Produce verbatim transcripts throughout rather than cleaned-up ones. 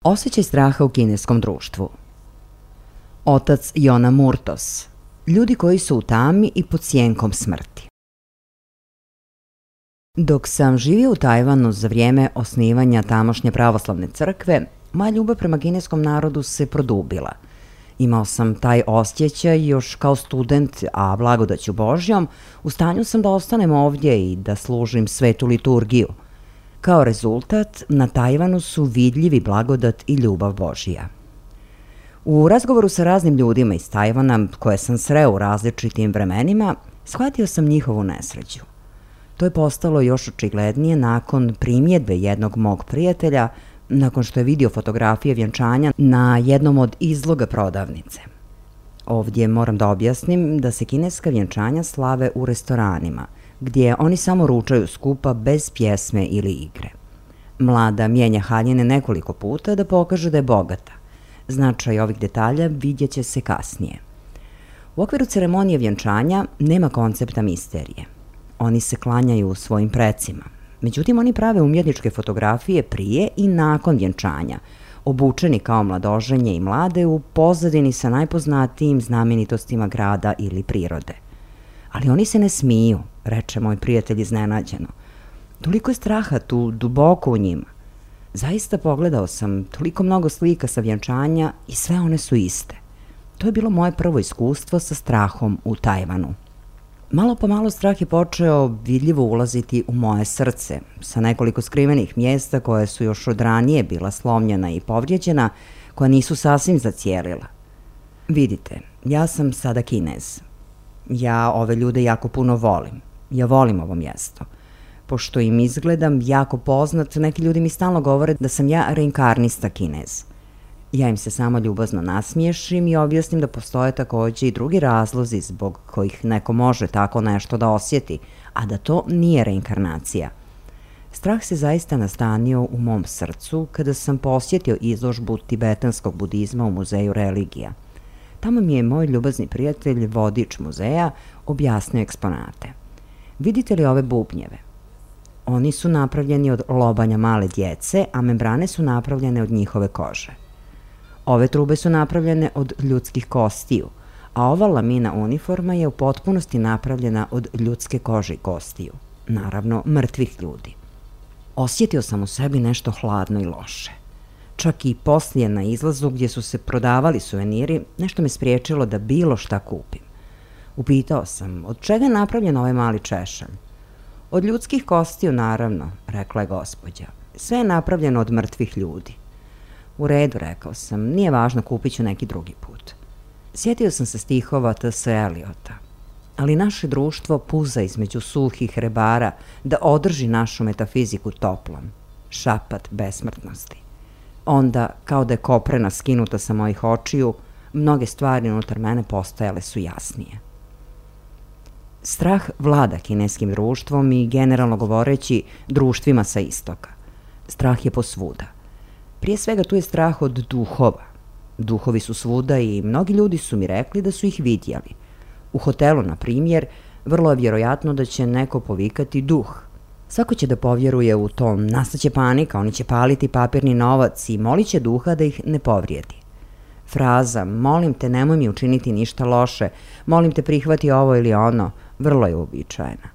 Osjećaj straha u kineskom društvu. Otac Jona Murtos. Ljudi koji su u tami i pod sjenkom smrti. Dok sam živio u Tajvanu za vrijeme osnivanja tamošnje pravoslavne crkve, moja ljubav prema kineskom narodu se produbila. Imao sam taj osjećaj još kao student, a blagodaću Božjom, u stanju sam da ostanem ovdje i da služim svetu liturgiju. Kao rezultat, na Tajvanu su vidljivi blagodat i ljubav Božija. U razgovoru sa raznim ljudima iz Tajvana, koje sam sreo u različitim vremenima, shvatio sam njihovu nesreću. To je postalo još očiglednije nakon primjedbe jednog mog prijatelja, nakon što je vidio fotografije vjenčanja na jednom od izloga prodavnice. Ovdje moram da objasnim da se kineska vjenčanja slave u restoranima, gdje oni samo ručaju skupa bez pjesme ili igre. Mlada mijenja haljine nekoliko puta da pokaže da je bogata. Značaj ovih detalja vidjet će se kasnije. U okviru ceremonije vjenčanja nema koncepta misterije. Oni se klanjaju svojim precima. Međutim, oni prave umjetničke fotografije prije i nakon vjenčanja, obučeni kao mladoženje i mlade u pozadini sa najpoznatijim znamenitostima grada ili prirode. Ali oni se ne smiju, reče moj prijatelj iznenađeno. Toliko je straha tu duboko u njima. Zaista pogledao sam toliko mnogo slika sa vjenčanja i sve one su iste. To je bilo moje prvo iskustvo sa strahom u Tajvanu. Malo po malo strah je počeo vidljivo ulaziti u moje srce, sa nekoliko skrivenih mjesta koje su još od ranije bila slomljena i povrijeđena, koja nisu sasvim zacijelila. Vidite, ja sam sada Kinez. Ja ove ljude jako puno volim. Ja volim ovo mjesto. Pošto im izgledam jako poznat, neki ljudi mi stalno govore da sam ja reinkarnista Kinez. Ja im se samo ljubazno nasmiješim i objasnim da postoje također i drugi razlozi zbog kojih neko može tako nešto da osjeti, a da to nije reinkarnacija. Strah se zaista nastanio u mom srcu kada sam posjetio izložbu tibetanskog budizma u Muzeju religija. Tamo mi je moj ljubazni prijatelj, vodič muzeja, objasnio eksponate. Vidite li ove bubnjeve? Oni su napravljeni od lobanja male djece, a membrane su napravljene od njihove kože. Ove trube su napravljene od ljudskih kostiju, a ova lamina uniforma je u potpunosti napravljena od ljudske kože i kostiju. Naravno, mrtvih ljudi. Osjetio sam u sebi nešto hladno i loše. Čak i poslije na izlazu gdje su se prodavali suveniri, nešto me spriječilo da bilo šta kupim. Upitao sam, od čega je napravljen ovaj mali češalj? Od ljudskih kostiju, naravno, rekla je gospođa. Sve je napravljeno od mrtvih ljudi. U redu, rekao sam, nije važno, kupit ću neki drugi put. Sjetio sam se stihova T S Eliota. Ali naše društvo puza između suhih rebara da održi našu metafiziku toplom. Šapat besmrtnosti. Onda, kao da je koprena skinuta sa mojih očiju, mnoge stvari unutar mene postajale su jasnije. Strah vlada kineskim društvom i, generalno govoreći, društvima sa istoka. Strah je posvuda. Prije svega tu je strah od duhova. Duhovi su svuda i mnogi ljudi su mi rekli da su ih vidjeli. U hotelu, na primjer, vrlo je vjerojatno da će neko povikati duh. Svako će da povjeruje u to, nastaće panika, oni će paliti papirni novac i molit će duha da ih ne povrijedi. Fraza, molim te, nemoj mi učiniti ništa loše, molim te, prihvati ovo ili ono, vrlo je uobičajena.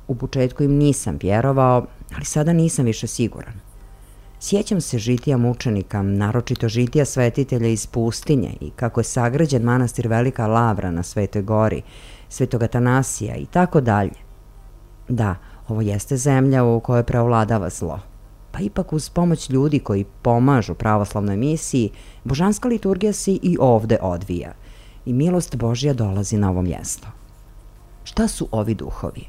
U početku im nisam vjerovao, ali sada nisam više siguran. Sjećam se žitija mučenika, naročito žitija svetitelja iz pustinje i kako je sagrađen manastir Velika Lavra na Svetoj gori, Svetog Atanasija i tako dalje. Da, ovo jeste zemlja u kojoj preovladava zlo. Pa ipak uz pomoć ljudi koji pomažu pravoslavnoj misiji, božanska liturgija se i ovde odvija i milost Božja dolazi na ovo mjesto. Šta su ovi duhovi?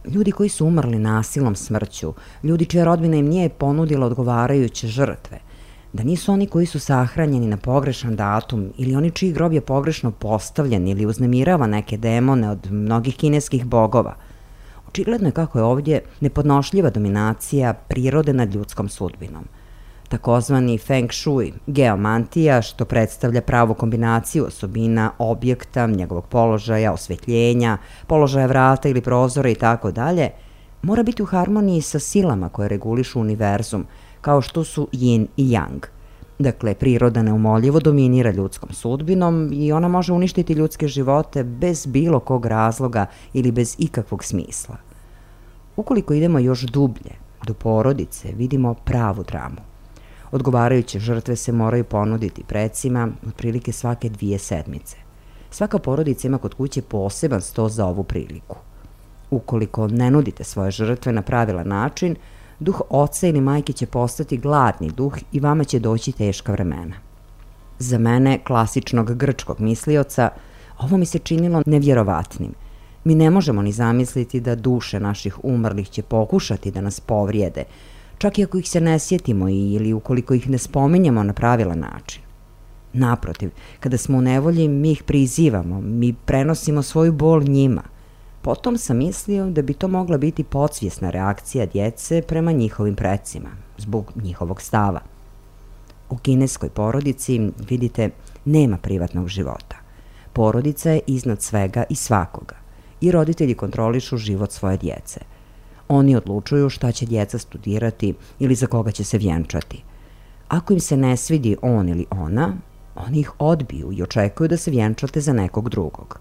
Ljudi koji su umrli nasilnom smrću, ljudi čija rodbina im nije ponudila odgovarajuće žrtve, da nisu oni koji su sahranjeni na pogrešan datum ili oni čiji grob je pogrešno postavljen ili uznemirava neke demone od mnogih kineskih bogova. Očigledno je kako je ovdje nepodnošljiva dominacija prirode nad ljudskom sudbinom. Takozvani feng shui, geomantija, što predstavlja pravu kombinaciju osobina objekta, njegovog položaja, osvjetljenja, položaja vrata ili prozora i tako dalje, mora biti u harmoniji sa silama koje regulišu univerzum, kao što su yin i yang. Dakle, priroda neumoljivo dominira ljudskom sudbinom i ona može uništiti ljudske živote bez bilo kog razloga ili bez ikakvog smisla. Ukoliko idemo još dublje, do porodice, vidimo pravu dramu. Odgovarajuće žrtve se moraju ponuditi precima otprilike svake dvije sedmice. Svaka porodica ima kod kuće poseban sto za ovu priliku. Ukoliko ne nudite svoje žrtve na pravilan način, duh oca ili majke će postati gladni duh i vama će doći teška vremena. Za mene, klasičnog grčkog mislioca, ovo mi se činilo nevjerovatnim. Mi ne možemo ni zamisliti da duše naših umrlih će pokušati da nas povrijede, čak i ako ih se ne sjetimo ili ukoliko ih ne spominjemo na pravilan način. Naprotiv, kada smo u nevolji, mi ih prizivamo, mi prenosimo svoju bol njima. Potom sam mislio da bi to mogla biti podsvjesna reakcija djece prema njihovim precima, zbog njihovog stava. U kineskoj porodici, vidite, nema privatnog života. Porodica je iznad svega i svakoga i roditelji kontrolišu život svoje djece. Oni odlučuju šta će djeca studirati ili za koga će se vjenčati. Ako im se ne svidi on ili ona, oni ih odbiju i očekuju da se vjenčate za nekog drugog.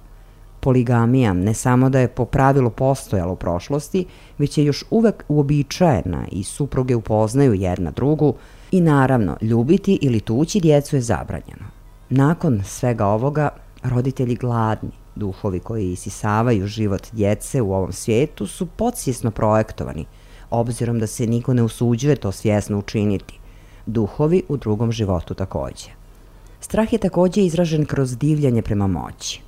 Poligamija ne samo da je po pravilu postojala u prošlosti, već je još uvek uobičajena i supruge upoznaju jedna drugu i naravno ljubiti ili tući djecu je zabranjeno. Nakon svega ovoga, roditelji gladni, duhovi koji isisavaju život djece u ovom svijetu su podsvjesno projektovani, obzirom da se niko ne usuđuje to svjesno učiniti. Duhovi u drugom životu takođe. Strah je takođe izražen kroz divljanje prema moći.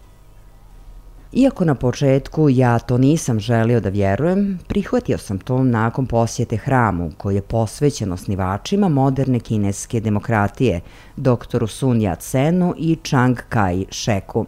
Iako na početku ja to nisam želio da vjerujem, prihvatio sam to nakon posjete hramu koji je posvećen osnivačima moderne kineske demokratije, doktoru Sun Yat-senu i Chiang Kai-sheku.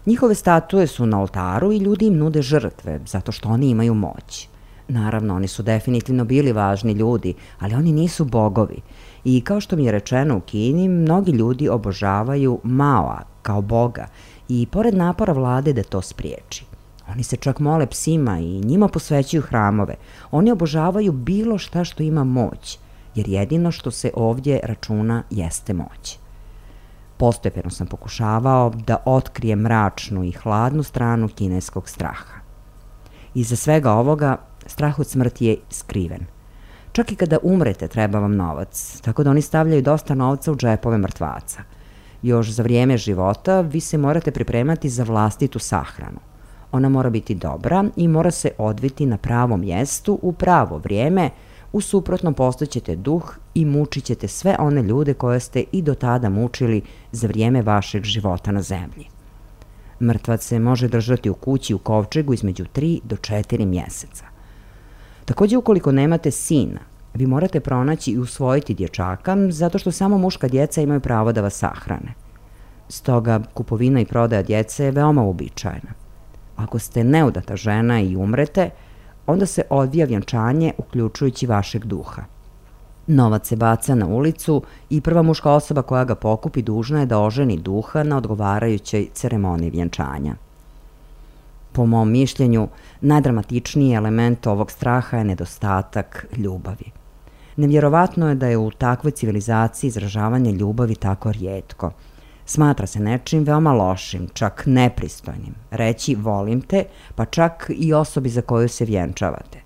Njihove statue su na oltaru i ljudi im nude žrtve, zato što oni imaju moć. Naravno, oni su definitivno bili važni ljudi, ali oni nisu bogovi. I kao što mi je rečeno u Kini, mnogi ljudi obožavaju Maoa kao boga i pored napora vlade da to spriječi. Oni se čak mole psima i njima posvećuju hramove. Oni obožavaju bilo šta što ima moć, jer jedino što se ovdje računa jeste moć. Postepeno sam pokušavao da otkrijem mračnu i hladnu stranu kineskog straha. Iza svega ovoga, strah od smrti je skriven. Čak i kada umrete treba vam novac, tako da oni stavljaju dosta novca u džepove mrtvaca. Još za vrijeme života vi se morate pripremati za vlastitu sahranu. Ona mora biti dobra i mora se odviti na pravom mjestu u pravo vrijeme, u suprotnom postaćete duh i mučit ćete sve one ljude koje ste i do tada mučili za vrijeme vašeg života na zemlji. Mrtvac se može držati u kući u kovčegu između tri do četiri mjeseca. Takođe, ukoliko nemate sina, vi morate pronaći i usvojiti dječaka zato što samo muška djeca imaju pravo da vas sahrane. Stoga, kupovina i prodaja djece je veoma uobičajena. Ako ste neudata žena i umrete, onda se odvija vjenčanje uključujući vašeg duha. Novac se baca na ulicu i prva muška osoba koja ga pokupi dužna je da oženi duha na odgovarajućoj ceremoniji vjenčanja. Po mom mišljenju, najdramatičniji element ovog straha je nedostatak ljubavi. Nevjerovatno je da je u takvoj civilizaciji izražavanje ljubavi tako rijetko. Smatra se nečim veoma lošim, čak nepristojnim. Reći volim te, pa čak i osobi za koju se vjenčavate.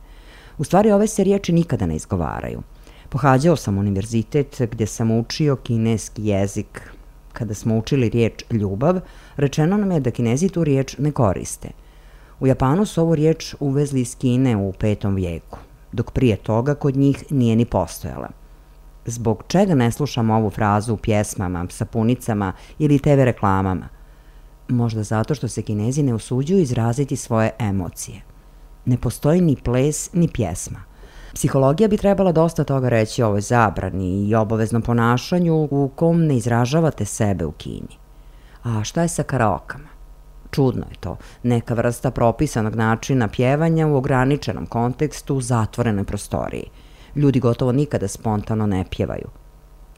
U stvari, ove se riječi nikada ne izgovaraju. Pohađao sam univerzitet gdje sam učio kineski jezik. Kada smo učili riječ ljubav, rečeno nam je da Kinezi tu riječ ne koriste. U Japanu su ovu riječ uvezli iz Kine u petom vijeku, dok prije toga kod njih nije ni postojala. Zbog čega ne slušamo ovu frazu u pjesmama, sapunicama ili te ve reklamama? Možda zato što se Kinezi ne usuđuju izraziti svoje emocije. Ne postoji ni ples, ni pjesma. Psihologija bi trebala dosta toga reći o ovoj zabrani i obaveznom ponašanju u kom ne izražavate sebe u Kini. A šta je sa karaokama? Čudno je to, neka vrsta propisanog načina pjevanja u ograničenom kontekstu u zatvorenoj prostoriji. Ljudi gotovo nikada spontano ne pjevaju.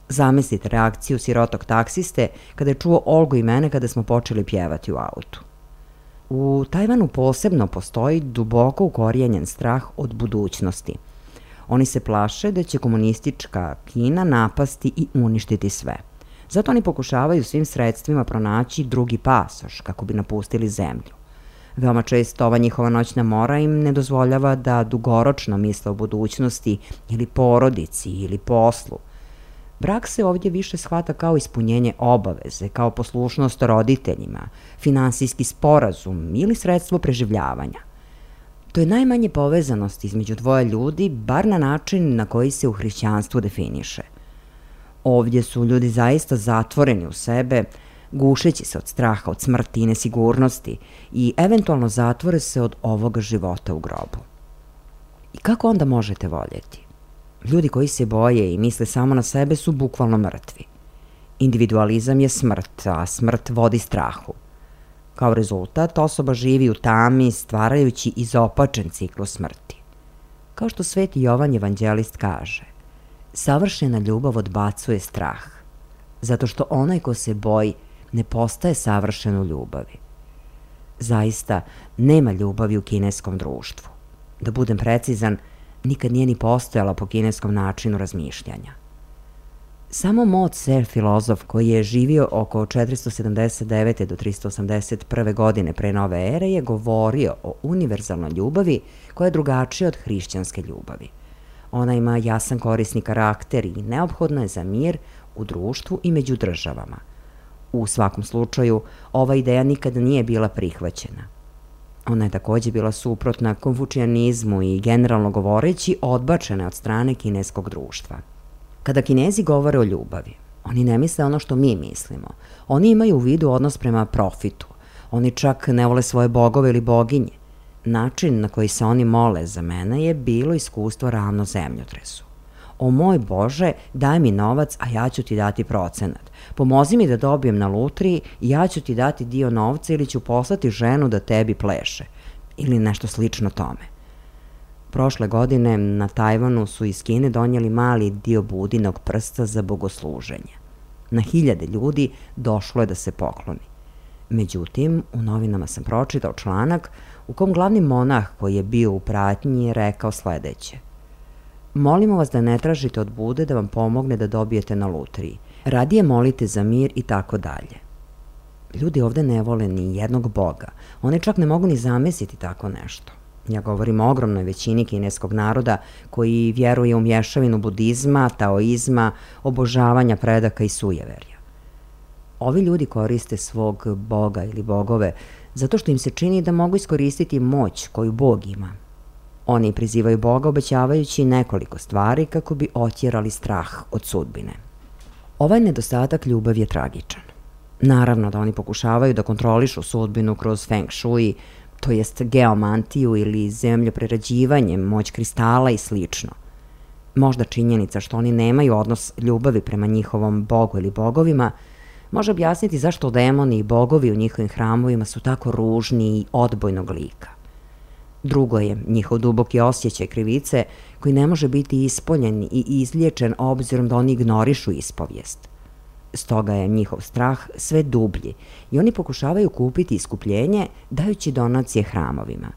Zamislite reakciju sirotog taksiste kada je čuo Olgu i mene kada smo počeli pjevati u autu. U Tajvanu posebno postoji duboko ukorijenjen strah od budućnosti. Oni se plaše da će komunistička Kina napasti i uništiti sve. Zato oni pokušavaju svim sredstvima pronaći drugi pasoš kako bi napustili zemlju. Veoma često ova njihova noćna mora im ne dozvoljava da dugoročno misle o budućnosti ili porodici ili poslu. Brak se ovdje više shvata kao ispunjenje obaveze, kao poslušnost roditeljima, finansijski sporazum ili sredstvo preživljavanja. To je najmanje povezanost između dvoje ljudi, bar na način na koji se u hrišćanstvu definiše. Ovdje su ljudi zaista zatvoreni u sebe, gušeći se od straha, od smrti i nesigurnosti i eventualno zatvore se od ovoga života u grobu. I kako onda možete voljeti? Ljudi koji se boje i misle samo na sebe su bukvalno mrtvi. Individualizam je smrt, a smrt vodi strahu. Kao rezultat, osoba živi u tami, stvarajući izopačen ciklus smrti. Kao što Sveti Jovan Evanđelist kaže, savršena ljubav odbacuje strah, zato što onaj ko se boji ne postaje savršen u ljubavi. Zaista, nema ljubavi u kineskom društvu. Da budem precizan, nikad nije ni postojala po kineskom načinu razmišljanja. Samo Mo Tse, filozof koji je živio oko četiristo sedamdeset devete do tristo osamdeset prve godine pre nove ere, je govorio o univerzalnoj ljubavi koja je drugačija od hrišćanske ljubavi. Ona ima jasan korisni karakter i neophodna je za mir u društvu i među državama. U svakom slučaju, ova ideja nikada nije bila prihvaćena. Ona je takođe bila suprotna konfučijanizmu i generalno govoreći odbačena od strane kineskog društva. Kada Kinezi govore o ljubavi, oni ne misle ono što mi mislimo. Oni imaju u vidu odnos prema profitu. Oni čak ne vole svoje bogove ili boginje. Način na koji se oni mole za mene je bilo iskustvo ravno zemljotresu. O moj Bože, daj mi novac, a ja ću ti dati procenat. Pomozi mi da dobijem na lutriji i ja ću ti dati dio novca ili ću poslati ženu da tebi pleše. Ili nešto slično tome. Prošle godine na Tajvanu su iz Kine donijeli mali dio budinog prsta za bogosluženje. Na hiljade ljudi došlo je da se pokloni. Međutim, u novinama sam pročitao članak u kom glavni monah koji je bio u pratnji je rekao sledeće. Molimo vas da ne tražite od Bude da vam pomogne da dobijete na lutriji. Radije molite za mir i tako dalje. Ljudi ovde ne vole ni jednog boga. Oni čak ne mogu ni zamisliti tako nešto. Ja govorim o ogromnoj većini kineskog naroda koji vjeruje u mješavinu budizma, taoizma, obožavanja predaka i sujeverja. Ovi ljudi koriste svog boga ili bogove zato što im se čini da mogu iskoristiti moć koju Bog ima. Oni prizivaju Boga obećavajući nekoliko stvari kako bi otjerali strah od sudbine. Ovaj nedostatak ljubavi je tragičan. Naravno da oni pokušavaju da kontrolišu sudbinu kroz feng shui, to jest geomantiju ili zemljoprerađivanje, moć kristala i slično. Možda činjenica što oni nemaju odnos ljubavi prema njihovom bogu ili bogovima može objasniti zašto demoni i bogovi u njihovim hramovima su tako ružni i odbojnog lika. Drugo je njihov duboki osjećaj krivice koji ne može biti ispoljen i izliječen obzirom da oni ignorišu ispovijest. Stoga je njihov strah sve dublji i oni pokušavaju kupiti iskupljenje dajući donacije hramovima.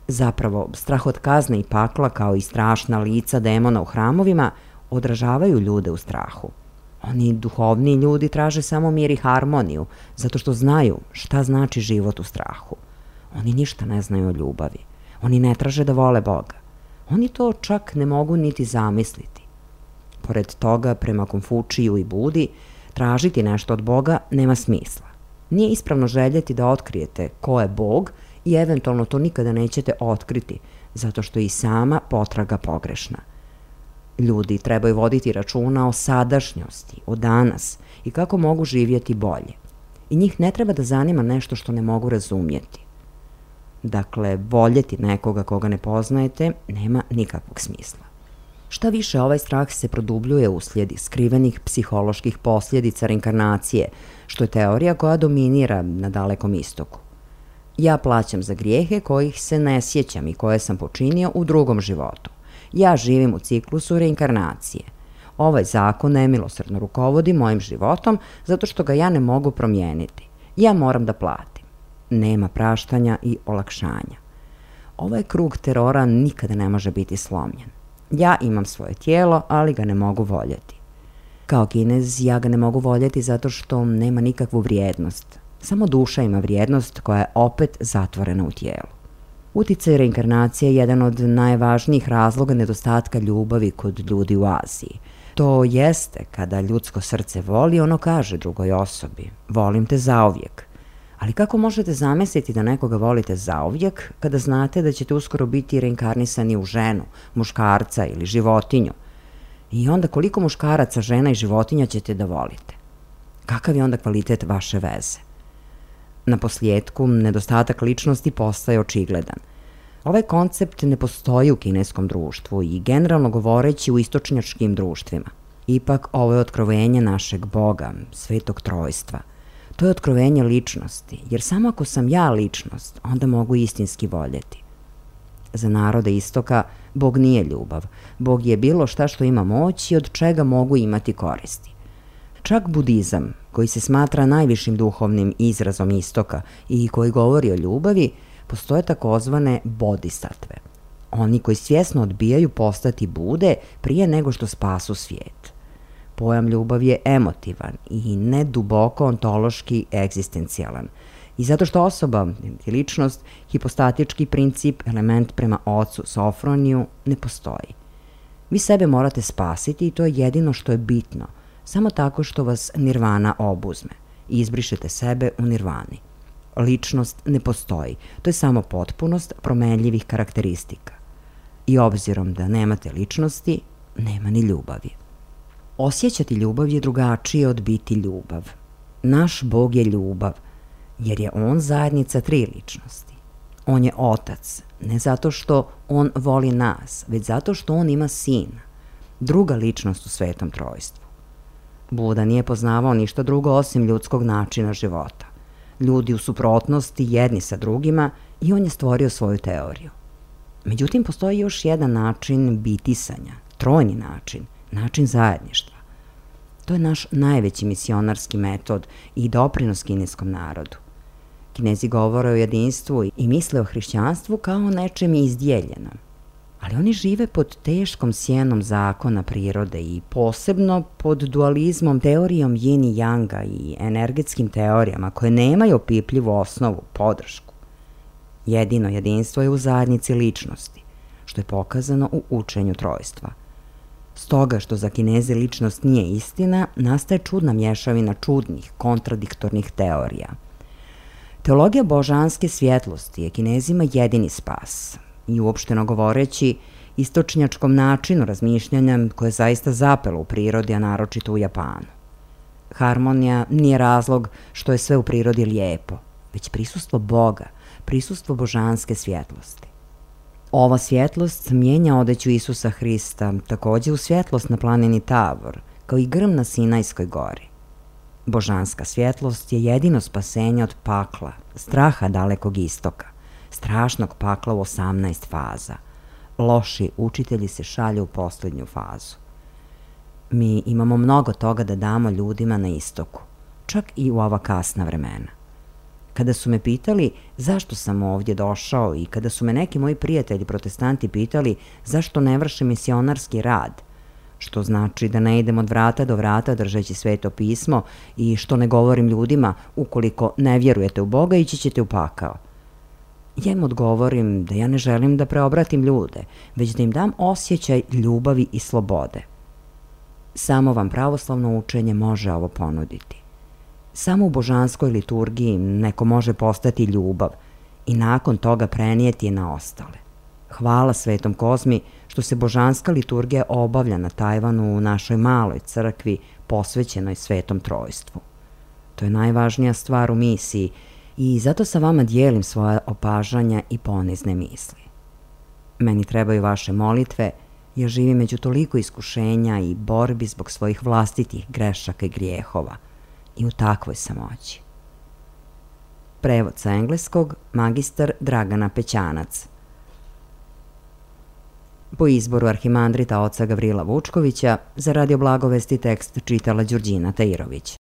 Zapravo, strah od kazne i pakla kao i strašna lica demona u hramovima odražavaju ljude u strahu. Oni duhovni ljudi traže samo mir i harmoniju zato što znaju šta znači život u strahu. Oni ništa ne znaju o ljubavi. Oni ne traže da vole Boga. Oni to čak ne mogu niti zamisliti. Pored toga, prema Konfučiju i Budi, tražiti nešto od Boga nema smisla. Nije ispravno željeti da otkrijete ko je Bog i eventualno to nikada nećete otkriti, zato što je i sama potraga pogrešna. Ljudi trebaju voditi računa o sadašnjosti, o danas i kako mogu živjeti bolje. I njih ne treba da zanima nešto što ne mogu razumjeti. Dakle, voljeti nekoga koga ne poznajete nema nikakvog smisla. Šta više, ovaj strah se produbljuje uslijed skrivenih psiholoških posljedica reinkarnacije, što je teorija koja dominira na Dalekom istoku. Ja plaćam za grijehe kojih se ne sjećam i koje sam počinio u drugom životu. Ja živim u ciklusu reinkarnacije. Ovaj zakon nemilosrdno rukovodi mojim životom zato što ga ja ne mogu promijeniti. Ja moram da platim. Nema praštanja i olakšanja. Ovaj krug terora nikada ne može biti slomljen. Ja imam svoje tijelo, ali ga ne mogu voljeti. Kao Kinez, ja ga ne mogu voljeti zato što nema nikakvu vrijednost. Samo duša ima vrijednost koja je opet zatvorena u tijelu. Uticaj reinkarnacije je jedan od najvažnijih razloga nedostatka ljubavi kod ljudi u Aziji. To jeste kada ljudsko srce voli, ono kaže drugoj osobi, volim te zauvijek. Ali kako možete zamisliti da nekoga volite zauvijek kada znate da ćete uskoro biti reinkarnisani u ženu, muškarca ili životinju? I onda koliko muškaraca, žena i životinja ćete da volite? Kakav je onda kvalitet vaše veze? Na posljedku, nedostatak ličnosti postaje očigledan. Ovaj koncept ne postoji u kineskom društvu i generalno govoreći u istočnjačkim društvima. Ipak, ovo je otkrovenje našeg Boga, Svetog Trojstva. To je otkrovenje ličnosti, jer samo ako sam ja ličnost, onda mogu istinski voljeti. Za narode istoka, Bog nije ljubav. Bog je bilo šta što ima moć i od čega mogu imati koristi. Čak budizam, koji se smatra najvišim duhovnim izrazom istoka i koji govori o ljubavi, postoje takozvane bodhisatve. Oni koji svjesno odbijaju postati Bude prije nego što spasu svijet. Pojam ljubav je emotivan i ne duboko ontološki egzistencijalan. I zato što osoba, ličnost, hipostatički princip, element prema ocu Sofroniju, ne postoji. Vi sebe morate spasiti i to je jedino što je bitno, samo tako što vas nirvana obuzme i izbrišete sebe u nirvani. Ličnost ne postoji, to je samo potpunost promenljivih karakteristika. I obzirom da nemate ličnosti, nema ni ljubavi. Osjećati ljubav je drugačije od biti ljubav. Naš Bog je ljubav, jer je On zajednica tri ličnosti. On je Otac, ne zato što On voli nas, već zato što On ima Sina, druga ličnost u Svetom Trojstvu. Buda nije poznavao ništa drugo osim ljudskog načina života. Ljudi u suprotnosti jedni sa drugima i on je stvorio svoju teoriju. Međutim, postoji još jedan način bitisanja, trojni način, način zajedništva. To je naš najveći misionarski metod i doprinos kineskom narodu. Kinezi govore o jedinstvu i misle o hrišćanstvu kao o nečem izdjeljenom. Ali oni žive pod teškom sjenom zakona prirode i posebno pod dualizmom, teorijom yin i yanga i energetskim teorijama koje nemaju opipljivu osnovu, podršku. Jedino jedinstvo je u zajednici ličnosti, što je pokazano u učenju trojstva. Stoga što za Kineze ličnost nije istina, nastaje čudna mješavina čudnih, kontradiktornih teorija. Teologija božanske svjetlosti je Kinezima jedini spas i uopšteno govoreći istočnjačkom načinu razmišljanja koje je zaista zapelo u prirodi, a naročito u Japanu. Harmonija nije razlog što je sve u prirodi lijepo, već prisustvo Boga, prisustvo božanske svjetlosti. Ova svjetlost mijenja odeću Isusa Hrista, također u svjetlost na planini Tavor, kao i grm na Sinajskoj gori. Božanska svjetlost je jedino spasenje od pakla, straha dalekog istoka, strašnog pakla u osamnaest faza. Loši učitelji se šalju u posljednju fazu. Mi imamo mnogo toga da damo ljudima na istoku, čak i u ova kasna vremena. Kada su me pitali zašto sam ovdje došao i kada su me neki moji prijatelji protestanti pitali zašto ne vršim misionarski rad, što znači da ne idem od vrata do vrata držeći Sveto pismo i što ne govorim ljudima ukoliko ne vjerujete u Boga ići ćete u pakao. Ja im odgovorim da ja ne želim da preobratim ljude, već da im dam osjećaj ljubavi i slobode. Samo vam pravoslavno učenje može ovo ponuditi. Samo u božanskoj liturgiji neko može postati ljubav i nakon toga prenijeti je na ostale. Hvala Svetom Kozmi što se božanska liturgija obavlja na Tajvanu u našoj maloj crkvi posvećenoj Svetom Trojstvu. To je najvažnija stvar u misiji i zato sa vama dijelim svoja opažanja i ponizne misli. Meni trebaju vaše molitve, jer živim među toliko iskušenja i borbi zbog svojih vlastitih grešaka i grijehova i u takvoj samoći. Prevod sa engleskog magistar Dragana Pećanac. Po izboru arhimandrita oca Gavrila Vučkovića, za Radio Blagovesti tekst čitala Đurđina Tajirović.